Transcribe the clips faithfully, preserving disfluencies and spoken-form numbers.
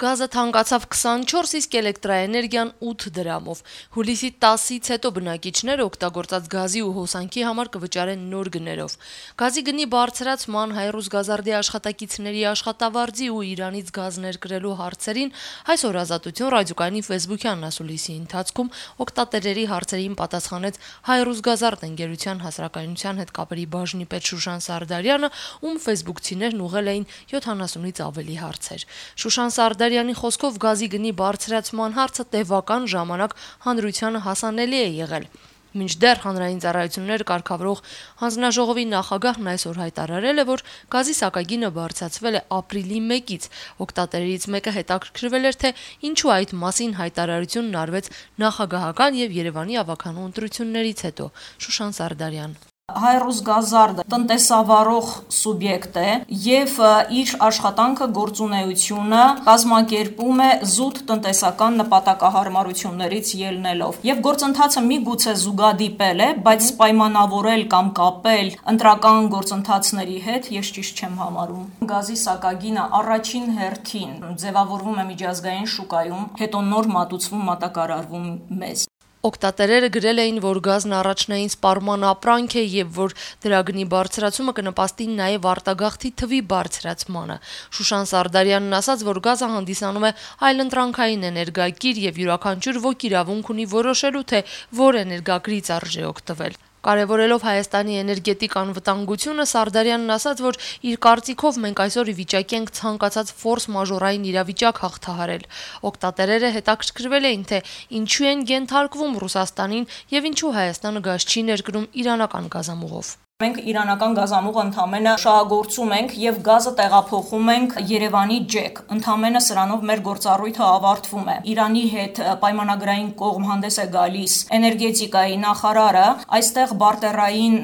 Գազը թանկացավ քսանչորս, իսկ էլեկտրաէներգիան ութ դրամով։ Հուլիսի տասից հետո բնակիչները օգտագործած գազի ու հոսանքի համար կվճարեն նոր գներով։ Գազի գնի բարձրացման, Հայ-Ռուսգազարդի աշխատակիցների աշխատավարձի ու Իրանից գազ ներկրելու հարցերին այսօր Ազատություն ռադիոկայանի ֆեյսբուքյան ասուլիսի ընթացքում օգտատերերի հարցերին պատասխանեց Հայ-Ռուսգազարդ ընկերության հասարակայնության հետ կապերի բաժնի պետ Շուշան Սարդարյանը, ում ֆեյսբուքցիներն ուղղել էին յոթանասունից ավելի հարցեր։ Շուշան Սարդարյանի խոսքով գազի գնի բարձրացման հարցը տևական ժամանակ հանրությանը հասանելի է եղել։ Մինչդեռ հանրային ծառայություններ կարգավորող հանձնաժողովի նախագահն այսօր հայտարարել է, որ գազի սակագինը բարձրացվել է ապրիլի մեկից։ Օգտատերերից մեկը հետաքրքրվել էր, թե ինչու այդ մասին հայտարարությունն արվեց նախագահական եւ Երևանի ավականու ընտրություններից հետո։ Շուշան Սարդարյան. Հայ-Ռուսգազարդը տնտեսավարող սուբյեկտ է եւ իր աշխատանքը գործունեությունը կազմակերպում է զուտ տնտեսական նպատակահարմարություններից ելնելով եւ գործընթացը միգուցե զուգադիպել է, բայց պայմանավորել կամ կապել ընտրական գործընթացների հետ ես ճիշտ չեմ համարում։ Գազի սակագինը առաջին հերթին ձևավորվում է միջազգային շուկայում, հետո նոր մատուցվում, մատակարարվում մեզ։ Օգտատերերը գրել էին, որ գազն առաջնային սպառման ապրանք է եւ որ դրա գնի բարձրացումը կնպաստի նաեւ արտագաղթի թվի բարձրացմանը։ Շուշան Սարդարյանն ասաց, որ գազը հանդիսանում է այլընտրանքային էներգակիր եւ յուրաքանչյուր ոք իրավունք ունի որոշելու, թե որ էներգակրից արժե օգտվել։ Կարևորելով Հայաստանի էներգետիկ անվտանգությունը, Սարդարյանն ասաց, որ իր կարծիքով մենք այսօր ի վիճակի ենք ցանկացած ֆորս մաժորային իրավիճակ հաղթահարել։ Օգտատերերը հետաքրքրվել էին, թե ինչու են ենթարկվում Ռուսաստանին եւ ինչու Հայաստանը գազ չի ներկրում իրանական գազամուղով։ Մենք իրանական գազամուղը ընդամենը շահագործում ենք եւ գազը տեղափոխում ենք Երևանի ջեք։ Ընդամենը սրանով մեր գործառույթը ավարտվում է։ Իրանի հետ պայմանագրային կողմ հանդես է գալիս էներգետիկայի նախարարը, այստեղ բարտերային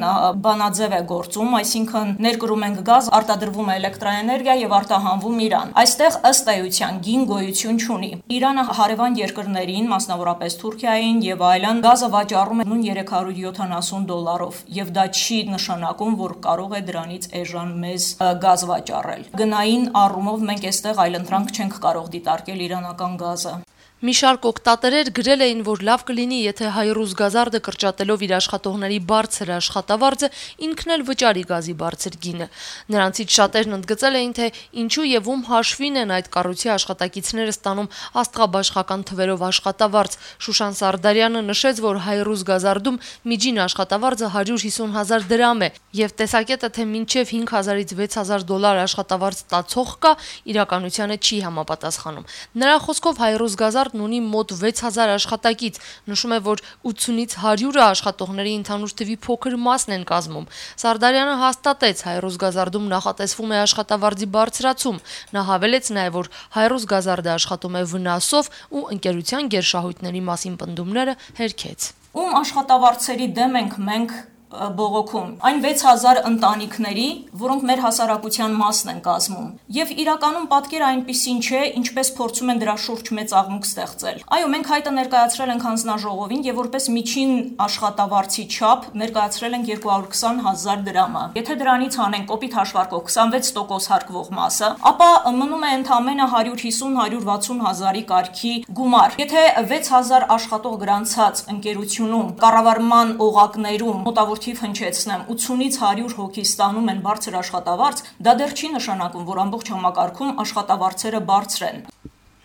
բանաձև է գործում, այսինքն ներկրում ենք գազ, արտադրվում է էլեկտրաէներգիա եւ արտահանվում Իրան։ Այստեղ ըստ էության գին գոյություն չունի։ Իրանը հարևան երկրներին, մասնավորապես Թուրքիային եւ այլն, գազը վաճառում է նույն երեք հարյուր յոթանասուն դոլարով եւ դա չի նշանակում, որ կարող է դրանից էժան մեզ գազ վաճառել։ Գնային առումով մենք այստեղ այլընտրանք չենք կարող դիտարկել իրանական գազը։ Մի շարք օգտատերեր գրել էին, որ լավ կլինի, եթե Հայ-Ռուսգազարդը կրճատելով իր աշխատողների բարձր աշխատավարձը ինքն էլ վճարի գազի բարձր գինը։ Նրանցից շատերն ընդգծել էին, թե ինչու եւ ում հաշվին են այդ կառույցի աշխատակիցները ստանում աստղաբաշխական թվերով աշխատավարձ։ Շուշան Սարդարյանը նշեց, որ Հայ-Ռուսգազարդում միջին աշխատավարձը հարյուր հիսուն հազար դրամ է եւ տեսակետը, թե մինչեւ հինգ հազարից վեց հազար դոլար աշխատավարձ ստացող կա, իրականությանը չի համապատասխանում։ Նրա խոսքով Հայ-Ռուսգազարդն ունի մոտ վեց հազար աշխատակից, նշում է, որ ութունից հարյուրը աշխատողների ընդհանուր թվի փոքր մասն են կազմում։ Սարդարյանը հաստատեց, Հայ-Ռուսգազարդում նախատեսվում է աշխատավարձի բարձրացում։ Նա հավելեց նաև, որ Հայ-Ռուսգազարդը աշխատում է վնասով ու ընկերության գերշահույթների մասին պնդումները հերքեց։ Ում աշխատավարձերի դեմ ենք մենք բողոքում, այն վեց հազար ընտանիքների, որոնք մեր հասարակության մասն են կազմում։ Եվ իրականում պատկերը այնպիսին չէ, ինչպես փորձում են դրա շուրջ մեծ աղմուկ ստեղծել։ Այո, մենք հայտը ներկայացրել ենք հանձնաժողովին եւ որպես միջին աշխատավարձի չափ ներկայացրել ենք երկու հարյուր քսան հազար դրամը։ Եթե դրանից հանենք կոպիտ հաշվարկով քսանվեց տոկոս հարկվող մասը, ապա մնում է ընդամենը հարյուր հիսուն հարյուր վաթսուն հազարի կարգի գումար։ Եթե վեց հազար աշխատող գրանցած ընկերությունում կառավարման օղակներում մոտավոր թիվ հնչեցնեմ ութունից հարյուր հոգի ստանում են բարձր աշխատավարձ, դա դեռ չի նշանակում, որ ամբողջ համակարգում աշխատավարձերը բարձր են։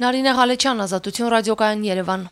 Նարինե Ղալեչյան, Ազատություն ռադիոկայան, Երևան։